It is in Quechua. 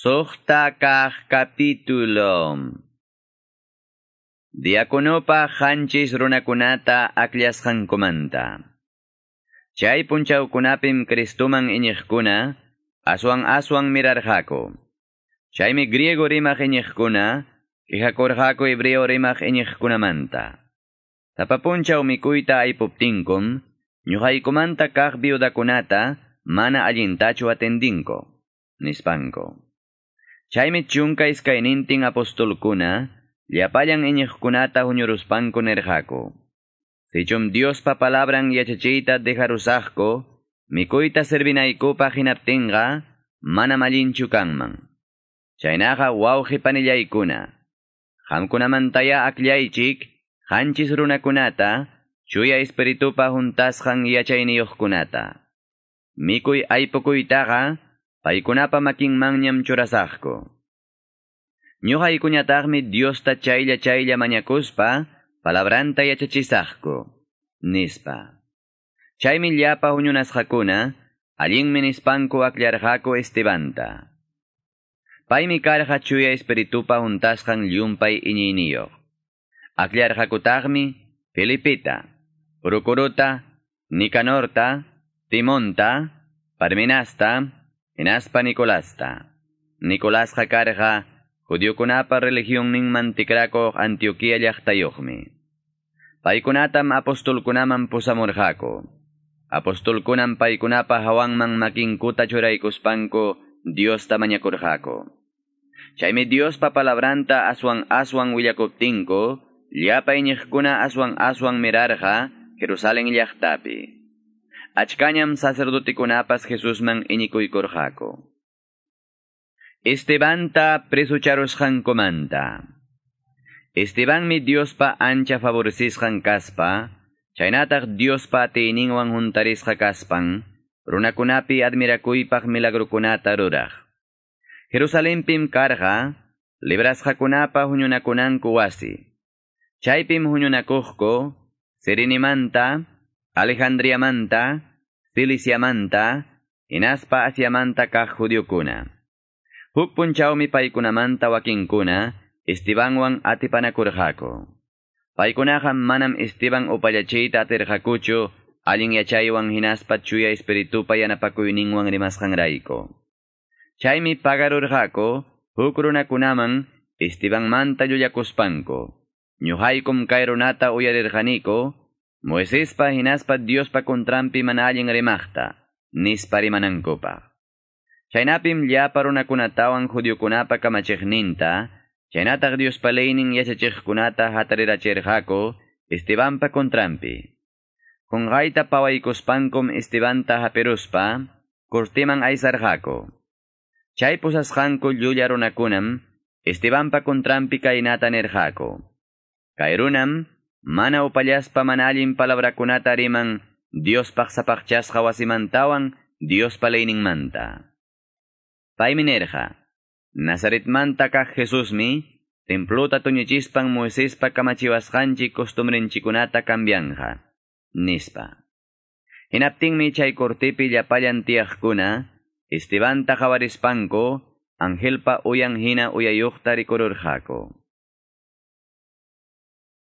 Suqta kaq capítulo. Diakonopa qanchis runakunata akllashqankumanta. Chay punchawkunapim Cristuman iñiqkuna aswan aswan mirarqaku. Chaymi griego rimaq iñiqkuna quejakurqaku hebreo rimaq iñiqkunamanta. Sapa punchaw mikuyta aypuptinkum, ñuqaykumanta kaq viudakunata mana allintachu atendinku, nispanku. Chaymi 12 apostolkuna, llapallan iñiqkunata huñuruspanku nirqaku. Sichum Diospa palabran yachachiyta dejarusaqku, mikuyta servinaykupaq hinaptinqa, manam allinchu kanman. Chaynaqa wawqi panillaykuna, qamkunamantaya akllaychik, qanchis runakunata, chuya espiritupa huntasqan yachayniyuqkunata. Mikuy aypukuytaqa, paykunapa makinmanñam churasaqku. Ñuqaykuñataqmi Diosta chaylla chaylla mañakuspa, palabranta yachachisaqku, nispa. Chaymi llapa huñunasqakuna, allinmi nispanku akllarqaku Estebanta. Paymi karqa chuya espiritupa huntasqan llumpay iñiyniyuq. Akllarqakutaqmi Felipeta, Procorota, Nicanorta, Timonta, Parmenasta, hinaspa Nicolasta. Nicolasqa karqa judiokunapa religionninman tikrakuq Antioquia llaqtayuqmi. Paykunatam apostolkunaman pusamurqaku. Apostolkunam paykunapa hawanman makinkuta churaykuspanku Diosta mañakurqaku. Chaymi Diospa palabranta aswan aswan willakuptinku, llapa iñiqkuna aswan aswan mirarqa Jerusalén llaqtapi. Achkañam sacerdotikunapas Jesusman iñikuykurqaku. Estebanta presucharusqankumanta. Estebanmi Diospa ancha favorecisqan kaspa, chaynataq Diospa atiyninwan huntarisqa kaspan, runakunapi admirakuypaq milagrukunata ruraq. Jerusalenpim karqa, librasqakunapa huñunakunanku wasi. Chaypim huñunakuqku, Cirenimanta, Alejandriamanta, Ciliciamanta, hinaspa Asiamanta kaq judiokuna. Huk punchawmi paykunamanta wakinkuna, Estebanwan atipanakurqaku. Paykunaqa manam Esteban upallachiyta atirqakuchu, allin yachaywan hinaspa chuya espiritupa yanapakuyninwan rimasqanrayku. Chaymi pagarurqaku, huk runakunaman Estebanmanta llullakuspanku. Ñuqaykum kay runata uyarirqaniku, Moisespa hinaspa Diospa kontranpi mana allin rimaqta, nispa rimanankupaq. Chaynapim llapa runakunatawan judiokunapa kamachiqninta, chaynataq Diospa leynin yachachiqkunata hatarirachirqaku Estebanpa kontranpi. Qunqayta pawaykuspankum Estebanta hapiruspa, cortiman aysarqaku. Chay pusasqanku llulla runakunam Estebanpa kontranpi kaynata nirqaku. Kay runam mana upallaspa mana allin palabrakunata riman Diospaq sapaqchasqa wasimantawan Diospa leyninmanta. Paymi nirqa, Nazaretmanta kaq Jesusmi, templuta tuñichispan Moisespa kamachiwasqanchik costumbrenchikunata cambianja, nispa. Hinaptinmi chay cortepi llapallan tiyaqkuna, Estebanta qawarispanku, angelpa uyan hina uyayuqta rikururqaku.